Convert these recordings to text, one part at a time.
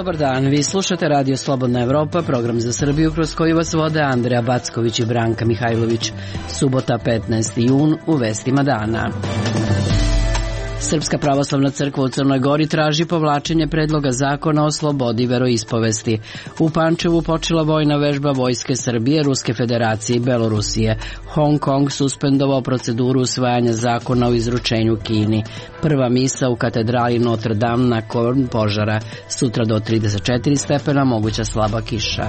Dobar dan, vi slušate Radio Slobodna Evropa, program za Srbiju kroz koji vas vode Andreja Backović i Branka Mihajlović. Subota 15. jun u vestima dana. Srpska pravoslavna crkva u Crnoj Gori traži povlačenje predloga zakona o slobodi veroispovesti. U Pančevu počela vojna vežba Vojske Srbije, Ruske federacije i Belorusije. Hong Kong suspendovao proceduru usvajanja zakona o izručenju Kini. Prva misa u katedrali Notre Dame nakon požara. Sutra do 34 stepena, moguća slaba kiša.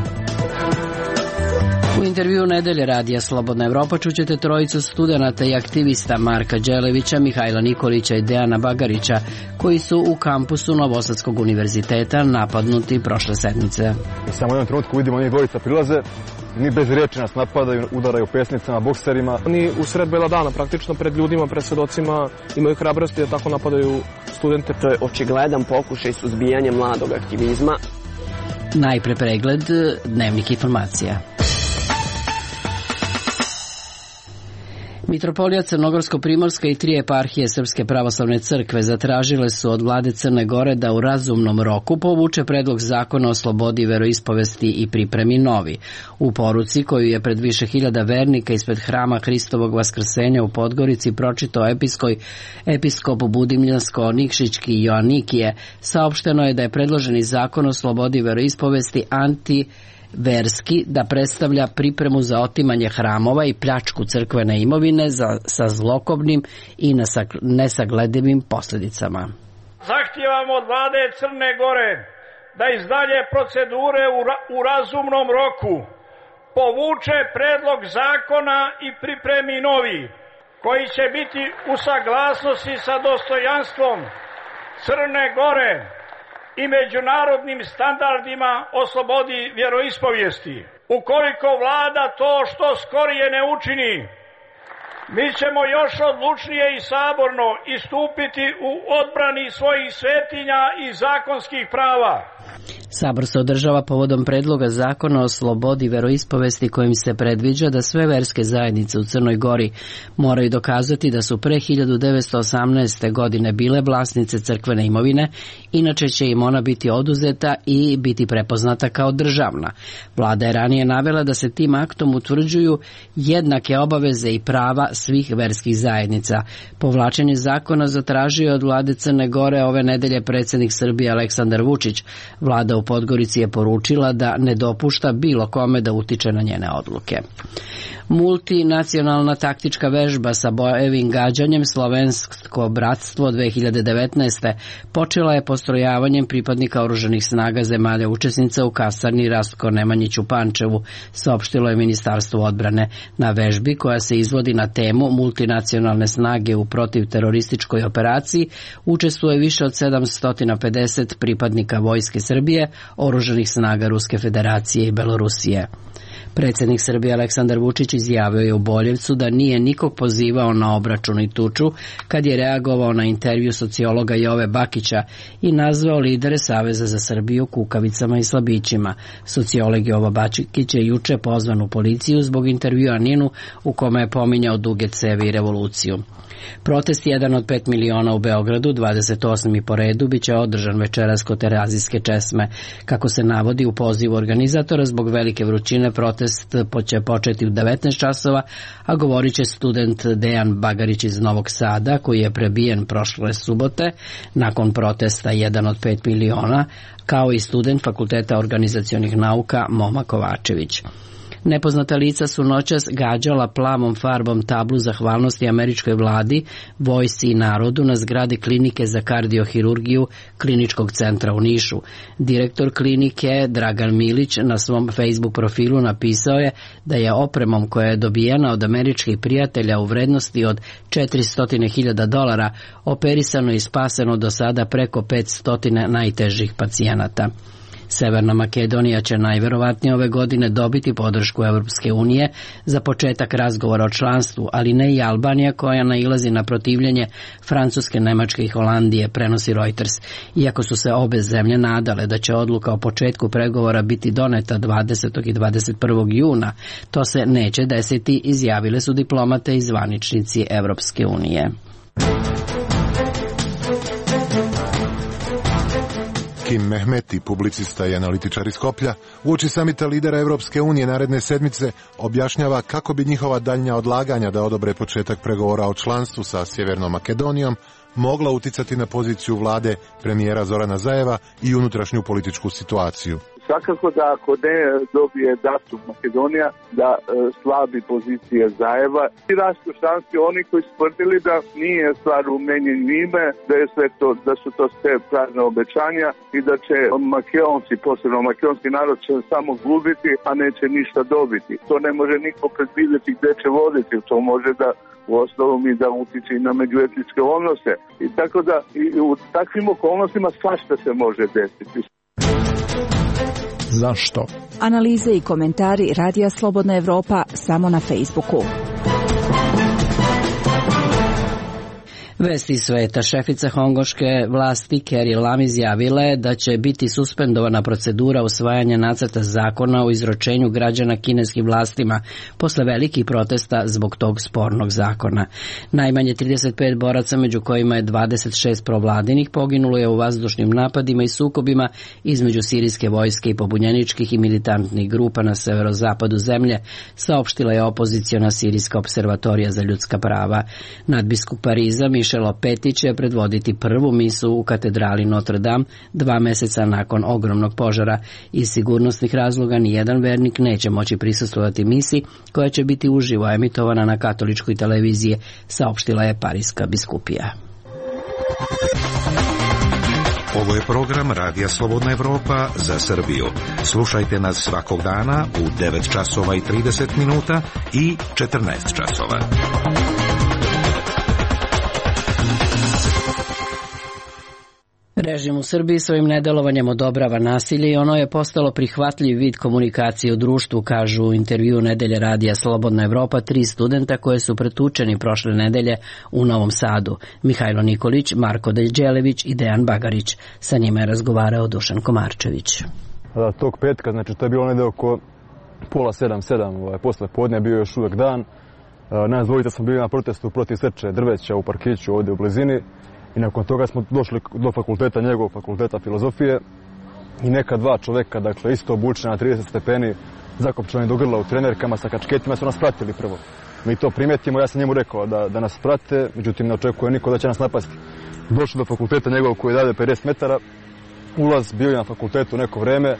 U intervju nedelje Radija Slobodna Evropa čućete trojicu studenata i aktivista Marka Đelevića, Mihajla Nikolića i Dejana Bagarića, koji su u kampusu Novosadskog univerziteta napadnuti prošle sedmice. I samo u jednom trenutku vidimo njih dvojica prilaze, ni bez riječi nas napadaju, udaraju pesnicama, bokserima. Oni u sred bela dana, praktično pred ljudima, pred svedocima, imaju hrabrosti da tako napadaju studente. To je očigledan pokušaj suzbijanja mladog aktivizma. Najpre pregled dnevnih informacija. Mitropolija Crnogorsko-Primorska i 3 eparhije Srpske pravoslavne crkve zatražile su od vlade Crne Gore da u razumnom roku povuče predlog zakona o slobodi veroispovesti i pripremi novi. U poruci koju je pred više hiljada vernika ispred hrama Hristovog vaskrsenja u Podgorici pročitao episkop Budimljansko-Nikšićki Joanikije, saopšteno je da je predloženi zakon o slobodi veroispovesti verski, da predstavlja pripremu za otimanje hramova i pljačku crkvene imovine sa zlokobnim i nesagledivim posljedicama. Zahtijevamo od vlade Crne Gore da iz dalje procedure u razumnom roku povuče predlog zakona i pripremi novi, koji će biti u saglasnosti sa dostojanstvom Crne Gore i međunarodnim standardima o slobodi vjeroispovijesti. Ukoliko vlada to što skorije ne učini, mi ćemo još odlučnije i saborno istupiti u odbrani svojih svetinja i zakonskih prava. Sabor se održava povodom predloga zakona o slobodi veroispovesti kojim se predviđa da sve verske zajednice u Crnoj Gori moraju dokazati da su pre 1918. godine bile vlasnice crkvene imovine, inače će im ona biti oduzeta i biti prepoznata kao državna. Vlada je ranije navela da se tim aktom utvrđuju jednake obaveze i prava svih verskih zajednica. Povlačenje zakona zatražio je od vlade Crne Gore ove nedelje predsjednik Srbije Aleksandar Vučić. Vlada u Podgorici je poručila da ne dopušta bilo kome da utiče na njene odluke. Multinacionalna taktička vežba sa bojevim gađanjem Slovensko bratstvo 2019. počela je postrojavanjem pripadnika oružanih snaga zemalja učesnica u kasarni Rastko Nemanjić u Pančevu, saopštilo je Ministarstvo odbrane. Na vežbi, koja se izvodi na temu multinacionalne snage u protivterorističkoj operaciji, učestvuje više od 750 pripadnika Vojske Srbije, oružanih snaga Ruske federacije i Belorusije. Predsjednik Srbije Aleksandar Vučić izjavio je u Boljevcu da nije nikog pozivao na obračun i tuču kad je reagovao na intervju sociologa Jove Bakića i nazvao lidere Saveza za Srbiju kukavicama i slabićima. Sociolog Jovo Bakić je juče pozvan u policiju zbog intervjua Ninu u kome je pominjao duge cevi i revoluciju. Protest 1 od 5 miliona u Beogradu, 28. po redu, biće održan večeras kod Terazijske česme. Kako se navodi u pozivu organizatora, zbog velike vrućine protest će početi u 19 časova, a govorit će student Dejan Bagarić iz Novog Sada, koji je prebijen prošle subote nakon protesta 1 od 5 miliona, kao i student Fakulteta organizacionih nauka Moma Kovačević. Nepoznata lica su noćas gađala plavom farbom tablu zahvalnosti američkoj vladi, vojsci i narodu na zgradi klinike za kardiohirurgiju Kliničkog centra u Nišu. Direktor klinike Dragan Milić na svom Facebook profilu napisao je da je opremom koja je dobijena od američkih prijatelja u vrednosti od $400.000 operisano i spaseno do sada preko 500 najtežih pacijenata. Severna Makedonija će najverovatnije ove godine dobiti podršku Evropske unije za početak razgovora o članstvu, ali ne i Albanija koja nailazi na protivljenje Francuske, Nemačke i Holandije, prenosi Reuters. Iako su se obe zemlje nadale da će odluka o početku pregovora biti doneta 20. i 21. juna, to se neće desiti, izjavile su diplomate i zvaničnici Evropske unije. Hakim Mehmeti, publicista i analitičar iz Skoplja, uoči samita lidera Evropske unije naredne sedmice objašnjava kako bi njihova daljnja odlaganja da odobre početak pregovora o članstvu sa Sjevernom Makedonijom mogla uticati na poziciju vlade premijera Zorana Zajeva i unutrašnju političku situaciju. Svakako da ako ne dobije datum Makedonija, da slabi pozicije Zajeva i rastu šansi oni koji su tvrdili da nije stvar u menjenju ime, da je sve to, da su to sve prazne obećanja i da će Makedonci, posebno makedonski narod, će samo gubiti, a neće ništa dobiti. To ne može niko predvidjeti gde će voditi, to može da u osnovu mi da utiče i na međuetničke odnose. I tako da i u takvim okolnostima svašta se može desiti. Zašto? Analize i komentari Radija Slobodna Evropa samo na Facebooku. Vesti sveta. Šefica hongoške vlasti Carrie Lam izjavila je da će biti suspendovana procedura usvajanja nacrta zakona o izručenju građana kineskim vlastima posle velikih protesta zbog tog spornog zakona. Najmanje 35 boraca, među kojima je 26 provladinih, poginulo je u vazdušnim napadima i sukobima između sirijske vojske i pobunjeničkih i militantnih grupa na severozapadu zemlje, saopštila je opoziciona sirijska observatorija za ljudska prava. Nadbiskup Pariza Michel Opeti će predvoditi prvu misu u katedrali Notre Dame 2 meseca nakon ogromnog požara. Iz sigurnosnih razloga nijedan vernik neće moći prisustvovati misi koja će biti uživo emitovana na katoličkoj televiziji, saopštila je Pariska biskupija. Ovo je program Radija Slobodna Evropa za Srbiju. Slušajte nas svakog dana u 9 časova i 30 minuta i 14 časova. Režim u Srbiji svojim nedelovanjem odobrava nasilje i ono je postalo prihvatljiv vid komunikacije u društvu, kažu u intervju Nedelje Radija Slobodna Evropa 3 studenta koje su pretučeni prošle nedelje u Novom Sadu. Mihajlo Nikolić, Marko Deljđelević i Dejan Bagarić. Sa njima je razgovarao Dušan Komarčević. Tog petka, znači to je bilo negde oko 6:30, posle podne, bio još uvek dan. Nas dvojica smo bili na protestu protiv seče drveća u parkiću ovdje u blizini. I nakon toga smo došli do fakulteta, njegovog fakulteta filozofije i neka 2 čoveka, dakle isto obučena na 30 stepeni, zakopčani do grla u trenerkama sa kačketima, su nas pratili prvo. Mi to primetimo, ja sam njemu rekao da nas prate, međutim ne očekuje niko da će nas napasti. Došli do fakulteta njegovog koji je dalje 50 metara, ulaz, bio je na fakultetu neko vreme,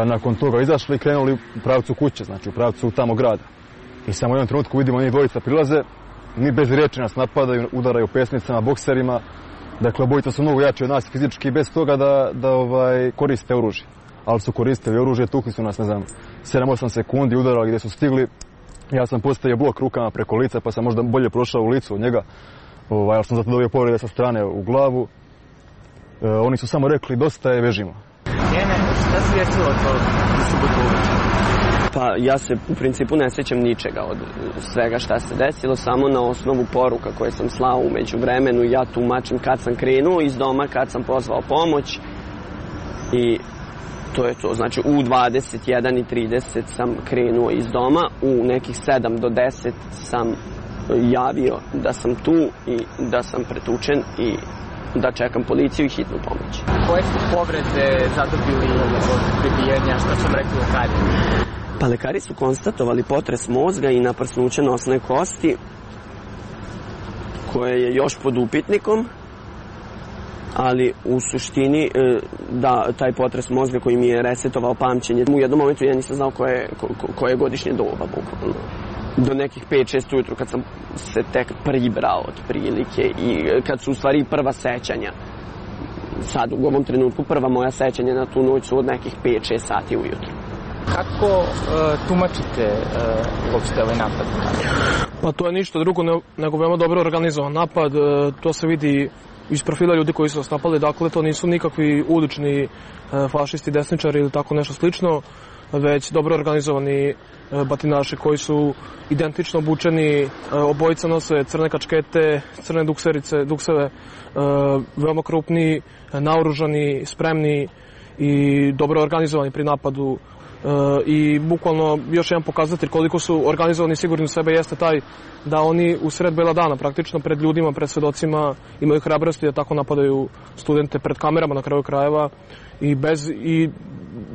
nakon toga izašli i krenuli u pravcu kuće, znači u pravcu tamo grada. I samo u jednom trenutku vidimo njih dvojica prilaze, ni bez riječi nas napadaju, udaraju pesnicama, bokserima. Dakle, obojica su mnogo jači od nas fizički, bez toga da koriste oružje. Ali su koristili oružje, tukli su nas, 7-8 sekundi, udarali gdje su stigli. Ja sam postavio blok rukama preko lica, pa sam možda bolje prošao u licu od njega. Ali sam zato dobio povrede sa strane u glavu. Oni su samo rekli, dosta je, vežimo. Šta se desilo to subotu? Pa ja se u principu ne sjećam ničega od svega šta se desilo, samo na osnovu poruka koje sam slao u međuvremenu. Ja tumačim kad sam krenuo iz doma, kad sam pozvao pomoć i to je to. Znači u 21:30 sam krenuo iz doma, u nekih 7 do 10 sam javio da sam tu i da sam pretučen i da čekam policiju i hitnu pomoć. Koje su povrede zadobili od prebijenja, što sam rekli lekari? Pa lekari su konstatovali potres mozga i naprsnuće nosne kosti, koje je još pod upitnikom, ali u suštini da taj potres mozga koji mi je resetovao pamćenje, u jednom momentu ja nisam znao koje je godišnje doba, bukvalno. Do nekih 5-6 ujutru kad sam se tek pribrao otprilike i kad su u stvari prva sećanja. Sad u ovom trenutku prva moja sećanja na tu noć su od nekih 5-6 sati ujutru. Kako tumačite uopšte ovaj napad? Pa to je ništa drugo nego veoma dobro organizovan napad. To se vidi iz profila ljudi koji su nas napali. Dakle, to nisu nikakvi ulični fašisti, desničari ili tako nešto slično, već dobro organizovani batinaši koji su identično obučeni. Obojica nose crne kačkete, crne dukseve, veoma krupni, naoružani, spremni i dobro organizovani pri napadu. i bukvalno još jedan pokazatelj koliko su organizovani i sigurni u sebe jeste taj da oni u sred bela dana, praktično pred ljudima, pred svedocima, imaju hrabrosti da tako napadaju studente pred kamerama na kraju krajeva i bez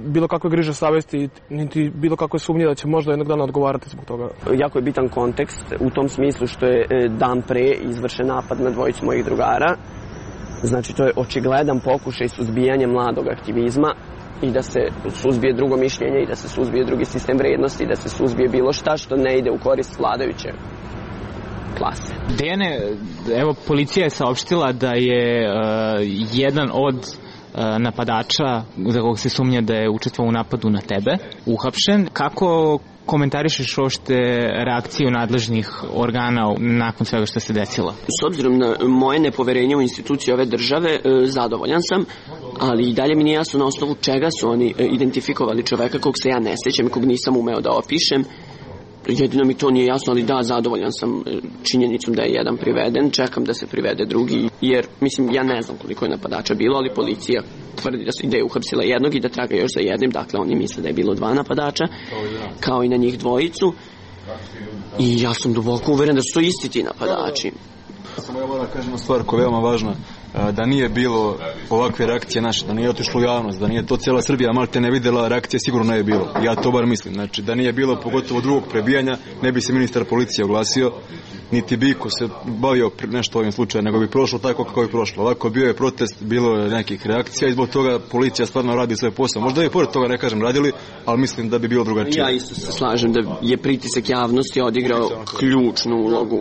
bilo kakve griže savesti, niti bilo kakve sumnje da će možda jednog dana odgovarati zbog toga. Jako je bitan kontekst u tom smislu što je dan pre izvršen napad na dvojicu mojih drugara. Znači, to je očigledan pokušaj suzbijanja mladog aktivizma i da se suzbije drugo mišljenje i da se suzbije drugi sistem vrednosti i da se suzbije bilo šta što ne ide u korist vladajuće klase. Dejane, evo, policija je saopštila da je jedan od napadača za kog se sumnja da je učestvovao u napadu na tebe uhapšen. Kako komentarišeš uopšte reakciju nadležnih organa nakon svega što se desilo? S obzirom na moje nepoverenje u institucije ove države, zadovoljan sam, ali i dalje mi nije jasno na osnovu čega su oni identifikovali čoveka kog se ja ne sjećam i kog nisam umeo da opišem. Jedino mi to nije jasno, ali da, zadovoljan sam činjenicom da je jedan priveden, čekam da se privede drugi, jer, mislim, ja ne znam koliko je napadača bilo, ali policija tvrdi da je uhapsila jednog i da traga još za jednim, dakle oni misle da je bilo 2 napadača, kao i na njih dvojicu, i ja sam duboko uveren da su to isti ti napadači. Samo ja moram kažem stvar koja je veoma važna, da nije bilo ovakve reakcije naše, da nije otišlo u javnost, da nije to cijela Srbija malte ne vidjela, reakcije sigurno ne bi bilo. Ja to bar mislim. Znači, da nije bilo pogotovo drugog prebijanja, ne bi se ministar policije oglasio, niti bi ko se bavio nešto ovim slučajem, nego bi prošlo tako kako bi prošlo. Ovako bio je protest, bilo je nekih reakcija i zbog toga policija stvarno radi svoj posao. Možda i pored toga, ne kažem, radili, ali mislim da bi bilo drugačije. Ja isto se slažem da je pritisak javnosti odigrao ključnu ulogu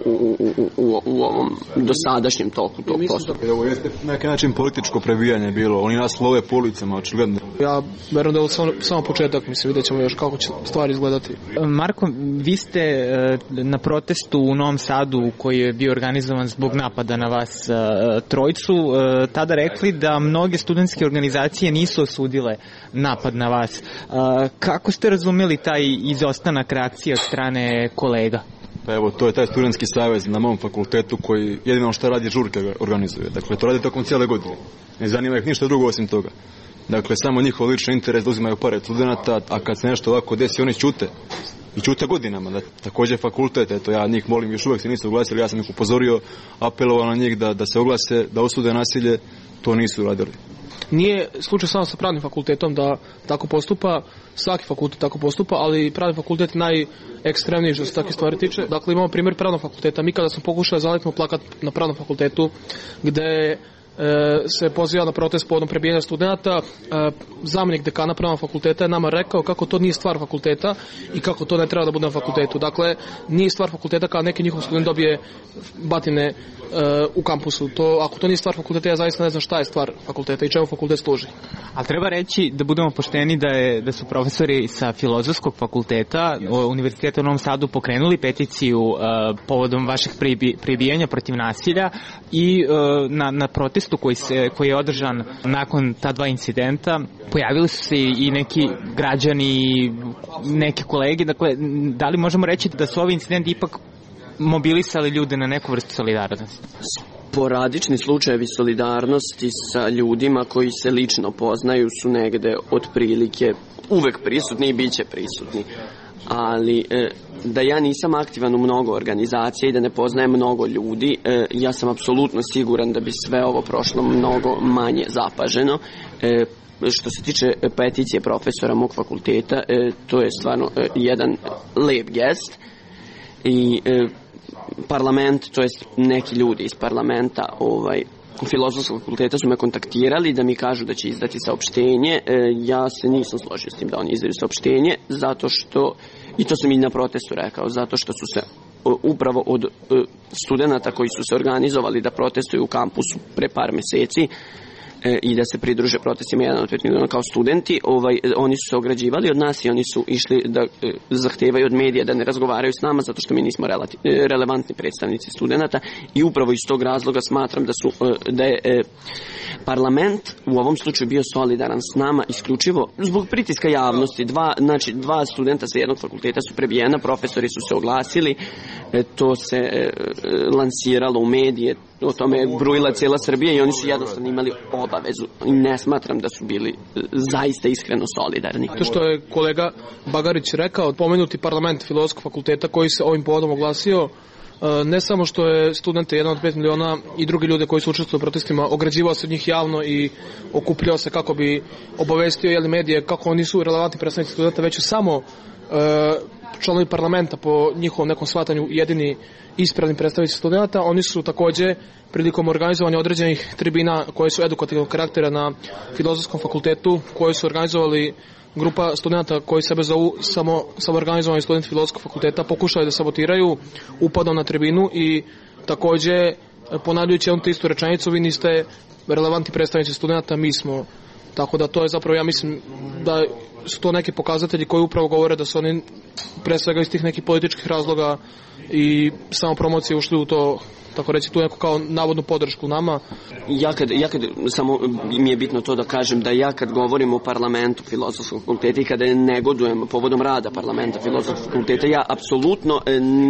u ovom dosadašnjem toku tog postupka. Ovo jeste na neki način političko prebijanje bilo. Oni nas love po ulicama, očigledno. Ja verujem da je ovo samo početak, mislim, vidjet ćemo još kako će stvari izgledati. Marko, vi ste na protestu u Novom Sadu koji je bio organizovan zbog napada na vas trojicu tada rekli da mnoge studentske organizacije nisu osudile napad na vas. Kako ste razumeli taj izostanak reakcije od strane kolega? Pa evo, to je taj studentski savez na mom fakultetu koji jedino što radi žurke organizuje. Dakle, to radi tokom cijele godine. Ne zanima ih ništa drugo osim toga. Dakle, samo njihov lični interes da uzimaju pare od studenta, a kad se nešto ovako desi, oni ćute. I ćute godinama. Također fakultet, eto, ja njih molim, još uvijek se nisu oglasili, ja sam ih upozorio, apelovao na njih da se oglase, da osude nasilje, to nisu radili. Nije slučaj samo sa pravnim fakultetom da tako postupa, svaki fakultet tako postupa, ali pravni fakultet najekstremniji što se takve stvari tiče. Dakle, imamo primjer pravnog fakulteta. Mi kada smo pokušali zaletimo plakat na pravnom fakultetu gde se poziva na protest povodom prebijanja studenta, zamjenik dekana pravnog fakulteta je nama rekao kako to nije stvar fakulteta i kako to ne treba da bude na fakultetu. Dakle, nije stvar fakulteta kada neki njihov student dobije batine u kampusu. Ako to nije stvar fakulteta, ja zaista ne znam šta je stvar fakulteta i čemu fakultet služi. Ali treba reći da budemo pošteni da su profesori sa Filozofskog fakulteta Univerziteta u Novom Sadu pokrenuli peticiju povodom vašeg prebijanja protiv nasilja i na protestu koji je održan nakon ta 2 incidenta pojavili su se i neki građani, neke kolege. Dakle, da li možemo reći da su ovi incidenti ipak mobilisali ljude na neku vrstu solidarnosti? Sporadični slučajevi solidarnosti sa ljudima koji se lično poznaju su negde otprilike uvek prisutni i bit će prisutni. Ali da ja nisam aktivan u mnogo organizacija i da ne poznajem mnogo ljudi, ja sam apsolutno siguran da bi sve ovo prošlo mnogo manje zapaženo. Što se tiče peticije profesora mog fakulteta, to je stvarno jedan lep gest i parlament, to jest neki ljudi iz parlamenta Filozofskog fakulteta su me kontaktirali da mi kažu da će izdati saopštenje. Ja se nisam složio s tim da oni izdaju saopštenje, zato što, i to sam i na protestu rekao, zato što su se upravo od studenta koji su se organizovali da protestuju u kampusu pre par meseci i da se pridruže protestima 1 od 5 miliona kao studenti, oni su se ograđivali od nas i oni su išli da zahtevaju od medija da ne razgovaraju s nama zato što mi nismo relevantni predstavnici studenta i upravo iz tog razloga smatram da je parlament u ovom slučaju bio solidaran s nama isključivo zbog pritiska javnosti. Dva studenta sa jednog fakulteta su prebijena, profesori su se oglasili to se lansiralo u medije, o tome je brujila cijela Srbija i oni su jednostavno imali obavezu i ne smatram da su bili zaista iskreno solidarni. To što je kolega Bagarić rekao, pomenuti parlament Filozofskog fakulteta koji se ovim povodom oglasio, ne samo što je studente 1 od 5 miliona i drugi ljude koji su učestvovali u protestima ograđivao se od njih javno i okupljao se kako bi obavestio medije kako oni su relevantni predstavnici studenta, već samo članovi parlamenta po njihovom nekom shvatanju jedini ispravni predstavnici studenta. Oni su takođe prilikom organizovanja određenih tribina koje su edukativnog karaktera na Filozofskom fakultetu, koje su organizovali grupa studenta koji sebe zovu samoorganizovani studenti Filozofskog fakulteta, pokušali da sabotiraju upadom na tribinu i takođe ponavljajući jednu te istu rečenicu, vi niste relevantni predstavnici studenta, mi smo. Tako da to je zapravo, ja mislim da su to neki pokazatelji koji upravo govore da su oni pre svega iz tih nekih političkih razloga i samo promocije ušli u to, tako reći, tu neku kao navodnu podršku nama. Ja kad samo mi je bitno to da kažem da ja kad govorim o parlamentu Filozofskog fakulteta i kada negodujem povodom rada parlamenta Filozofskog fakulteta, ja apsolutno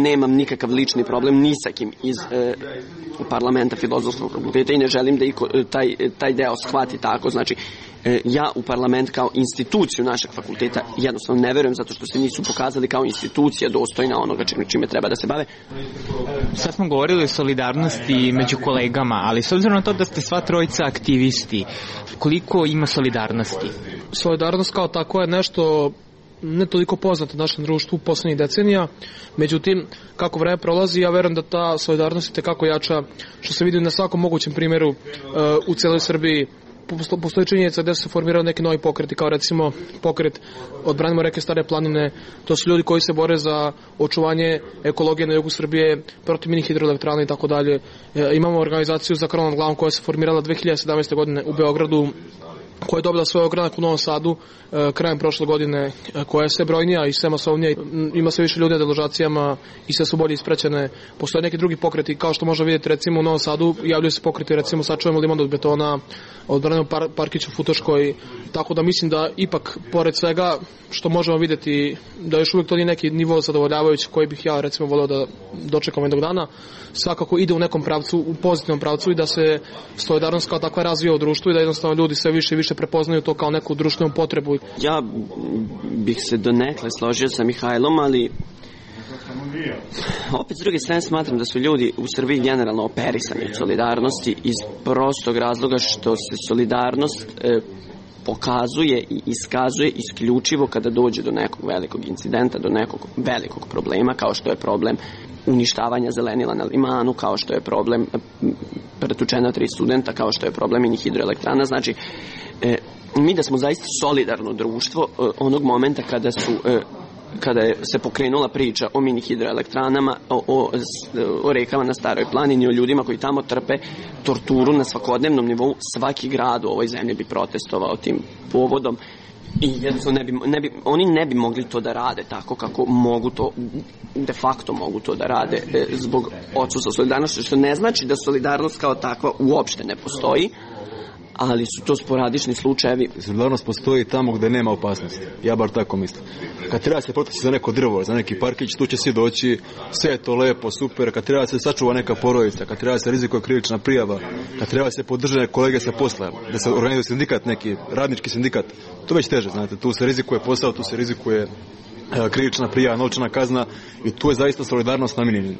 nemam nikakav lični problem ni sa kim iz parlamenta Filozofskog fakulteta i ne želim da taj deo shvati tako. Znači, ja u parlament kao instituciju našeg fakulteta jednostavno ne verujem zato što se nisu pokazali kao institucija dostojna onoga čime treba da se bave. Sad smo govorili o solidarnosti među kolegama, ali s obzirom na to da ste sva trojica aktivisti, koliko ima solidarnosti? Solidarnost kao tako je nešto ne toliko poznato u našem društvu poslednjih decenija, međutim, kako vreme prolazi, ja verujem da ta solidarnost je tekako jača, što se vidi na svakom mogućem primjeru u celoj Srbiji. Postoji činjenica da se formirao neki novi pokreti, kao recimo pokret Odbranimo reke Stare planine. To su ljudi koji se bore za očuvanje ekologije na jugu Srbije, protiv mini hidroelektrana i tako dalje. Imamo organizaciju za krov nad glavom koja se formirala 2017. godine u Beogradu, koja je dobila svoj ogranak u Novom Sadu krajem prošle godine, koja je sve brojnija i sve masovnija, ima sve više ljudi na deložacijama i sve su bolje ispraćene. Postoje neki drugi pokreti, kao što možemo vidjeti recimo u Novom Sadu, javljaju se pokreti, recimo sačuvamo liman od betona, odbranimo parkić u Futoškoj, tako da mislim da ipak, pored svega što možemo vidjeti, da još uvijek to nije neki nivo zadovoljavajući koji bih ja recimo voleo da dočekam jednog dana, svakako ide u nekom pravcu, u pozitivnom pravcu i da se solidarnost kao takva razvija u društvu i da jednostavno ljudi sve više i više prepoznaju to kao neku društvenu potrebu. Ja bih se donekle složio sa Mihajlom, ali opet s druge strane smatram da su ljudi u Srbiji generalno operisani od solidarnosti iz prostog razloga što se solidarnost pokazuje i iskazuje isključivo kada dođe do nekog velikog incidenta, do nekog velikog problema, kao što je problem uništavanja zelenila na limanu, kao što je problem pretučena 3 studenta, kao što je problem mini hidroelektrana. Znači, mi da smo zaista solidarno društvo onog momenta kada se pokrenula priča o mini hidroelektranama, o rekama na Staroj planini, o ljudima koji tamo trpe torturu na svakodnevnom nivou, svaki grad u ovoj zemlji bi protestovao tim povodom i jednostavno oni ne bi mogli to da rade tako kako mogu to, de facto mogu to da rade zbog odsustva solidarnosti, što ne znači da solidarnost kao takva uopšte ne postoji, ali su to sporadični slučajevi. Solidarnost postoji tamo gde nema opasnosti. Ja bar tako mislim. Kad treba se protesti za neko drvo, za neki parkić, tu će svi doći, sve je to lepo, super. Kad treba se sačuva neka porodica, kad treba se rizikuje krivična prijava, kad treba se podržane kolege sa posla, da se organizuje sindikat neki, radnički sindikat, to već teže, znate. Tu se rizikuje posao, tu se rizikuje krivična prijava, novčana kazna i tu je zaista solidarnost namijenjena.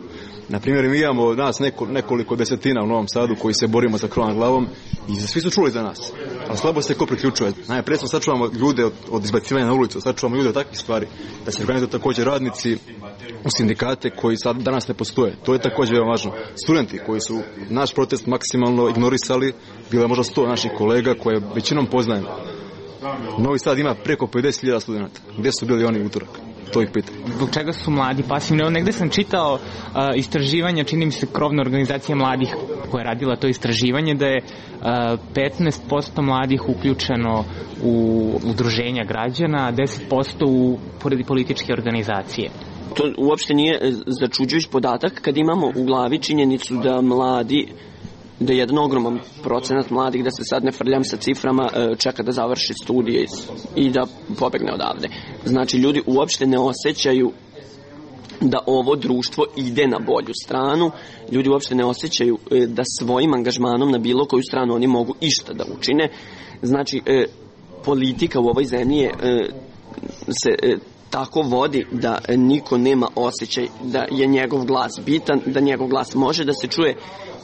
Na primjer, mi imamo nas nekoliko desetina u Novom Sadu koji se borimo za krov nad glavom i svi su čuli za nas, ali slabo se ko priključuje. Najprije smo sačuvamo ljude od izbacivanja na ulicu, sačuvamo ljude od takvih stvari, da se organizuju također radnici u sindikate koji sad danas ne postoje. To je također veoma važno. Studenti koji su naš protest maksimalno ignorisali, bilo je možda 100 naših kolega koje većinom poznajemo. Novi Sad ima preko 50.000 studenta. Gdje su bili oni utorak? To ih pitam. Zbog čega su mladi pasivni? Negde sam čitao istraživanja, čini mi se krovna organizacija mladih koja je radila to istraživanje, da je 15% mladih uključeno u udruženja građana, a 10% u političke organizacije. To uopšte nije začuđujući podatak kad imamo u glavi činjenicu da mladi, da je jedan ogroman procenat mladih, da se sad ne frljam sa ciframa, čeka da završi studije i da pobegne odavde. Znači, ljudi uopšte ne osjećaju da ovo društvo ide na bolju stranu. Ljudi uopšte ne osjećaju da svojim angažmanom na bilo koju stranu oni mogu išta da učine. Znači, politika u ovoj zemlji se tako vodi da niko nema osjećaj da je njegov glas bitan, da njegov glas može da se čuje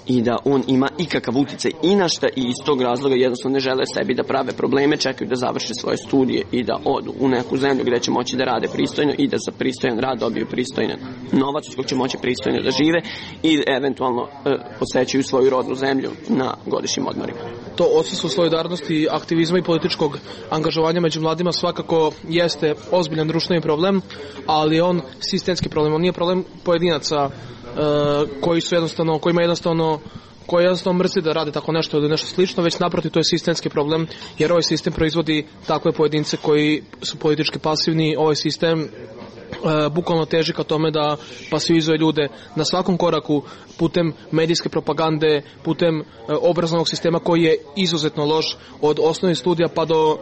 i da on ima ikakav uticaj i na šta, i iz tog razloga jednostavno ne žele sebi da prave probleme, čekaju da završe svoje studije i da odu u neku zemlju gde će moći da rade pristojno i da za pristojan rad dobiju pristojan novac iz kog će moći pristojno da žive i eventualno posećuju svoju rodnu zemlju na godišnjim odmorima. To odsustvo solidarnosti, aktivizma i političkog angažovanja među mladima svakako jeste ozbiljan društveni problem, ali on sistemski problem, on nije problem pojedinaca koji jednostavno mrzi da rade tako nešto ili nešto slično, već naprotiv to je sistemski problem, jer ovaj sistem proizvodi takve pojedince koji su politički pasivni. Ovaj sistem bukvalno teži ka tome da pasivizuje ljude na svakom koraku putem medijske propagande, putem obrazovnog sistema koji je izuzetno loš, od osnovnih studija pa do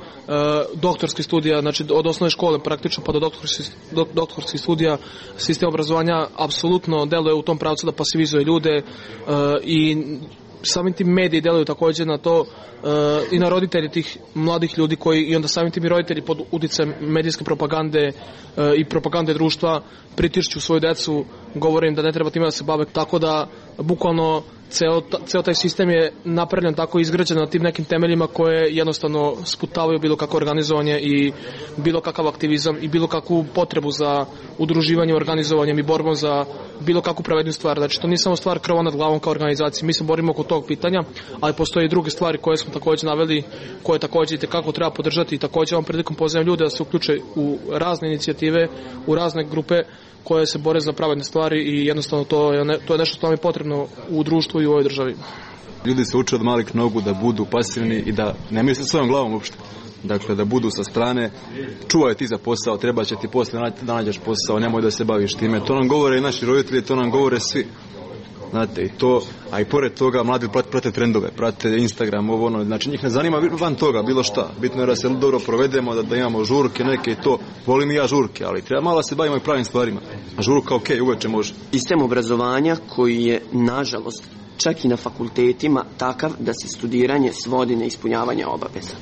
doktorskih studija, znači od osnovne škole praktično pa do doktorskih studija. Sistem obrazovanja apsolutno deluje u tom pravcu da pasivizuje ljude i samim tim mediji deluju također na to i na roditelji tih mladih ljudi koji i onda samim tim i roditelji pod uticajem medijske propagande i propagande društva pritišću svoju decu, govore im da ne treba time da se bave, tako da bukvalno ceo taj sistem je napravljen tako, izgrađen na tim nekim temeljima koje jednostavno sputavaju bilo kako organizovanje i bilo kakav aktivizam i bilo kakvu potrebu za udruživanjem, organizovanjem i borbom za bilo kakvu pravednu stvar. Znači to nije samo stvar krova nad glavom kao organizacije, mi se borimo oko tog pitanja, ali postoje i druge stvari koje smo također naveli, koje također i kako treba podržati i također ovom prilikom pozivam ljude da se uključe u razne inicijative, u razne grupe koje se bore za pravedne stvari i jednostavno to je nešto što nam je potrebno u društvu i u ovoj državi. Ljudi se uče od malih nogu da budu pasivni i da ne misle svojom glavom uopšte. Dakle, da budu sa strane, čuvaj ti za posao, treba će ti posle da nađeš posao, nemoj da se baviš time. To nam govore i naši roditelji, to nam govore svi. Znate, i to, a i pored toga mladi prate trendove, prate Instagram, ovo ono, znači njih ne zanima van toga bilo šta. Bitno je da se dobro provedemo, da imamo žurke neke i to. Volim i ja žurke, ali treba malo se bavimo i pravim stvarima. A žurka uveče može. Sistem obrazovanja koji je, nažalost, čak i na fakultetima takav da se studiranje svodi na ispunjavanje obaveza.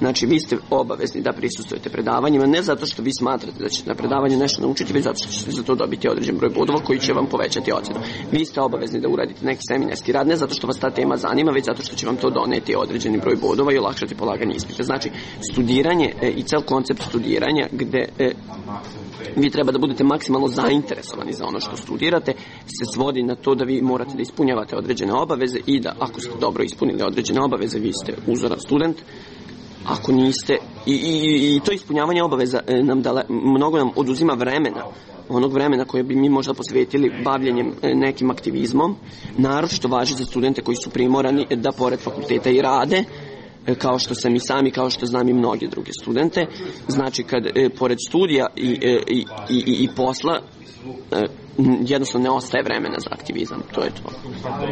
Znači, vi ste obavezni da prisustvujete predavanjima, ne zato što vi smatrate da ćete na predavanju nešto naučiti, već zato što ćete za to dobiti određen broj bodova koji će vam povećati ocenu. Vi ste obavezni da uradite neki seminarski rad, ne zato što vas ta tema zanima, već zato što će vam to doneti određeni broj bodova i olakšati polaganje ispita. Znači, studiranje i cel koncept studiranja gde vi treba da budete maksimalno zainteresovani za ono što studirate, se svodi na to da vi morate da ispunjavate određene obaveze i da ako ste dobro ispunili određene obaveze, vi ste uzoran student. Ako niste, i to ispunjavanje obaveza mnogo nam oduzima vremena, onog vremena koje bi mi možda posvetili bavljenjem nekim aktivizmom, naročito važi za studente koji su primorani da pored fakulteta i rade, kao što sam i sam i kao što znam i mnoge druge studente. Znači, kad pored studija i posla jednostavno ne ostaje vremena za aktivizam, to je to.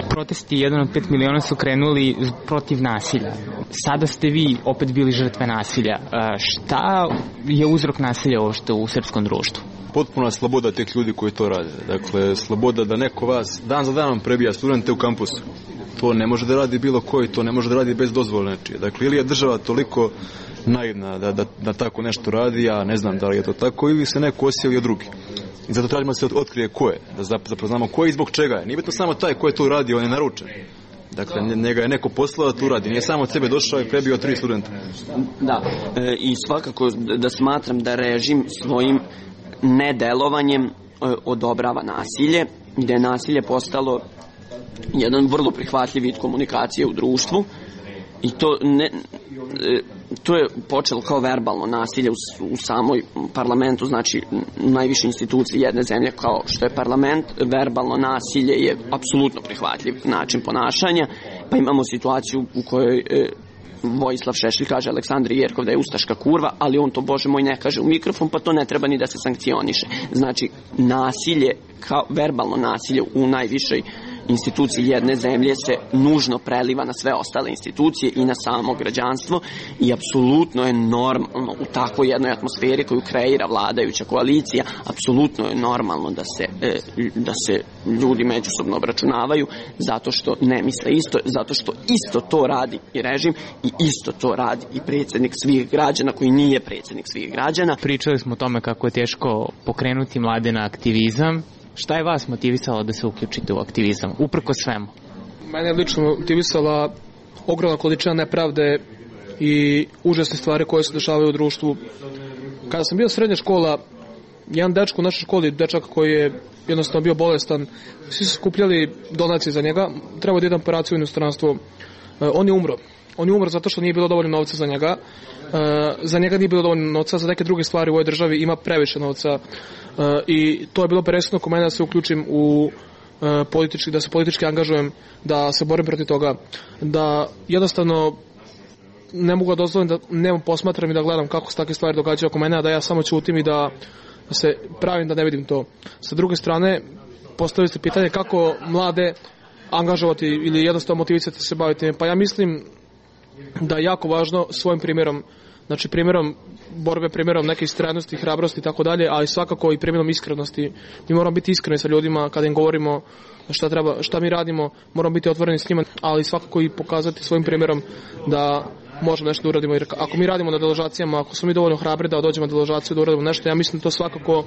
Protesti 1 od 5 miliona su krenuli protiv nasilja. Sada ste vi opet bili žrtve nasilja. Šta je uzrok nasilja uopšte u srpskom društvu? Potpuna sloboda tih ljudi koji to rade. Dakle, sloboda da neko vas dan za danom prebija studente u kampusu. To ne može da radi bilo koji, to ne može da radi bez dozvole nečije. Dakle, ili je država toliko naivna da tako nešto radi, ja ne znam da li je to tako, ili se neko osjelio drugi. I zato tražimo da se otkrije ko je, da zapoznamo ko je i zbog čega je. Nije bitno samo taj ko je to radi, on je naručen. Dakle, njega je neko poslao da to radi, nije samo od sebe došao i prebio 3 studenta. Da, i svakako da smatram da režim svojim nedelovanjem odobrava nasilje, gde je nasilje postalo jedan vrlo prihvatljiv vid komunikacije u društvu i to je počelo kao verbalno nasilje u samoj parlamentu, znači u najvišoj instituciji jedne zemlje kao što je parlament. Verbalno nasilje je apsolutno prihvatljiv način ponašanja, pa imamo situaciju u kojoj Vojislav Šešelj kaže Aleksandri Jerkov da je ustaška kurva, ali on to, bože moj, ne kaže u mikrofon, pa to ne treba ni da se sankcioniše. Znači, nasilje, kao verbalno nasilje u najvišoj institucije jedne zemlje se nužno preliva na sve ostale institucije i na samo građanstvo i apsolutno je normalno u takvoj jednoj atmosferi koju kreira vladajuća koalicija, apsolutno je normalno da se ljudi međusobno obračunavaju zato što ne misle isto, zato što isto to radi i režim i isto to radi i predsjednik svih građana koji nije predsjednik svih građana. Pričali smo o tome kako je teško pokrenuti mlade na aktivizam. Šta je vas motivisalo da se uključite u aktivizam, uprko svemu? Mene je lično motivisala ogromna količina nepravde i užasne stvari koje se dešavaju u društvu. Kada sam bio srednja škola, jedan dečko u našoj školi, dečak koji je jednostavno bio bolestan, svi su skupljali donacije za njega, trebao da ide operaciju u inostranstvo. On je umro. On je umro zato što nije bilo dovoljno novca za njega. Za njega nije bilo dovoljno novca, za neke druge stvari u ovoj državi ima previše novca. I to je bilo presudno kod mene da se uključim u politički, da se politički angažujem, da se borim protiv toga, da jednostavno ne mogu da dozvolim da nemo posmatram i da gledam kako se takve stvari događaju oko mene, a da ja samo ćutim i da se pravim da ne vidim to. Sa druge strane, postavili ste pitanje kako mlade angažovati ili jednostavno motivisati da se baviti. Pa ja mislim da je jako važno svojim primjerom, znači primjerom borbe, primjerom neke istrajnosti, hrabrosti i tako dalje, ali svakako i primjerom iskrenosti. Mi moramo biti iskreni sa ljudima kada im govorimo šta mi radimo, moramo biti otvoreni s njima, ali svakako i pokazati svojim primjerom da možemo nešto da uradimo. Jer ako mi radimo na deložacijama, ako smo mi dovoljno hrabri da dođemo na deložaciju, da uradimo nešto, ja mislim da to svakako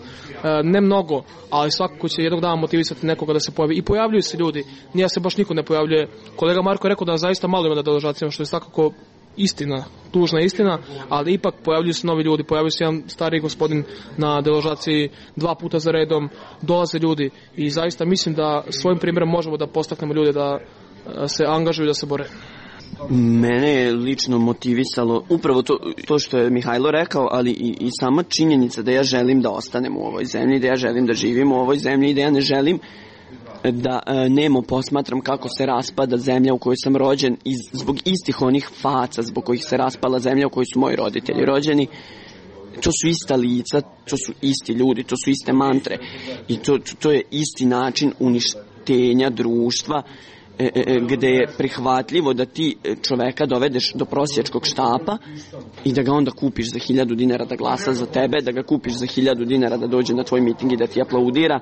ne mnogo, ali svakako će jednog dana motivisati nekoga da se pojavi. I pojavljuju se ljudi, nije se baš niko ne pojavljuje. Kolega Marko je rekao da zaista malo ima na deložacijama, što je svakako istina, tužna istina, ali ipak pojavljuju se novi ljudi, pojavljuju se jedan stari gospodin na deložaciji 2 puta za redom, dolaze ljudi i zaista mislim da svojim primjerom možemo da postaknemo ljude da se angažuju, da se bore. Mene je lično motivisalo upravo to što je Mihajlo rekao, ali i sama činjenica da ja želim da ostanem u ovoj zemlji, da ja želim da živim u ovoj zemlji i da ja ne želim da nemo posmatram kako se raspada zemlja u kojoj sam rođen zbog istih onih faca zbog kojih se raspala zemlja u kojoj su moji roditelji rođeni. To su ista lica, to su isti ljudi, to su iste mantre i to je isti način uništenja društva gde je prihvatljivo da ti čoveka dovedeš do prosjačkog štapa i da ga onda kupiš za 1000 dinara da glasa za tebe, da ga kupiš za 1000 dinara da dođe na tvoj miting i da ti aplaudira.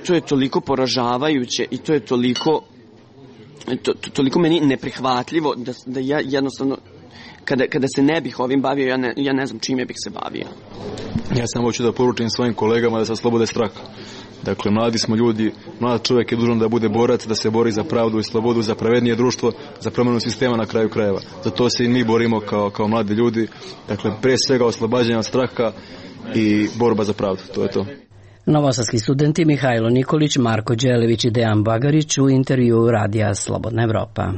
To je toliko poražavajuće i to je toliko meni neprihvatljivo da ja jednostavno kada se ne bih ovim bavio, ja ne znam čime bih se bavio. Ja samo hoću da poručim svojim kolegama da se oslobode straha. Dakle, mladi smo ljudi, mlad čovjek je dužan da bude borac, da se bori za pravdu i slobodu, za pravednije društvo, za promjenu sistema na kraju krajeva. Za to se i mi borimo kao mladi ljudi. Dakle, pre svega oslobađanje od straha i borba za pravdu, to je to. Novosadski studenti Mihajlo Nikolić, Marko Đelević i Dejan Bagarić u intervjuu Radija Slobodna Evropa.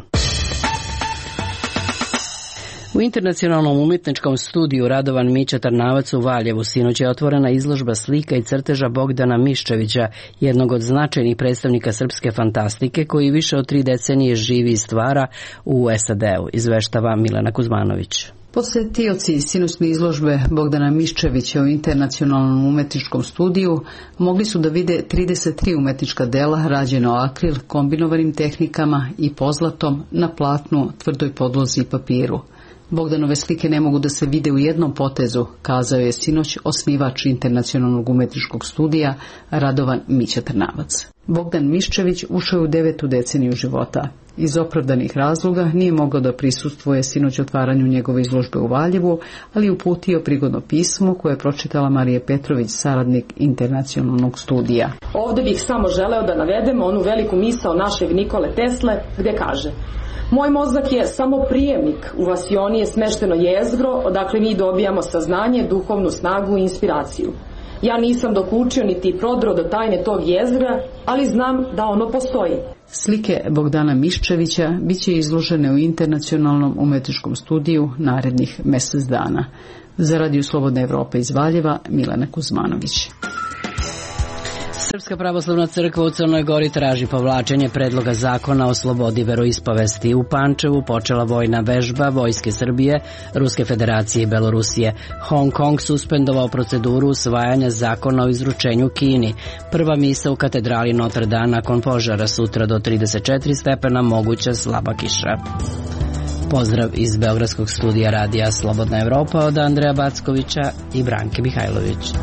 U Internacionalnom umjetničkom studiju Radovan Mića Trnavac u Valjevu sinoć je otvorena izložba slika i crteža Bogdana Miščevića, jednog od značajnih predstavnika srpske fantastike koji više od 3 decenije živi i stvara u SAD-u, izveštava Milena Kuzmanović. Posetioci sinoćne izložbe Bogdana Miščevića u Internacionalnom umetničkom studiju mogli su da vide 33 umetnička dela rađena akril, kombinovanim tehnikama i pozlatom na platnu, tvrdoj podlozi i papiru. Bogdanove slike ne mogu da se vide u jednom potezu, kazao je sinoć osnivač Internacionalnog umetničkog studija Radovan Mića Trnavac. Bogdan Miščević ušao je u 9. deceniju života. Iz opravdanih razloga nije mogao da prisustvuje sinoć otvaranju njegove izložbe u Valjevu, ali uputio prigodno pismo koje je pročitala Marija Petrović, saradnik Internacionalnog studija. Ovdje bih samo želeo da navedemo onu veliku misao našeg Nikole Tesle, gdje kaže: moj mozak je samo prijemnik, u vasioni je smešteno jezgro, odakle mi dobijamo saznanje, duhovnu snagu i inspiraciju. Ja nisam dokučio niti prodro do tajne tog jezgra, ali znam da ono postoji. Slike Bogdana Miščevića bit će izložene u Internacionalnom umetničkom studiju narednih mjesec dana. Za Radio Slobodna Evropa iz Valjeva, Milena Kuzmanović. Srpska pravoslavna crkva u Crnoj Gori traži povlačenje predloga zakona o slobodi veroispovesti. U Pančevu počela vojna vežba Vojske Srbije, Ruske federacije i Belorusije. Hong Kong suspendovao proceduru usvajanja zakona o izručenju Kini. Prva misa u katedrali Notre Dame nakon požara, sutra do 34 stepena, moguća slaba kiša. Pozdrav iz Beogradskog studija radija Slobodna Evropa od Andreja Backovića i Branke Mihajlović.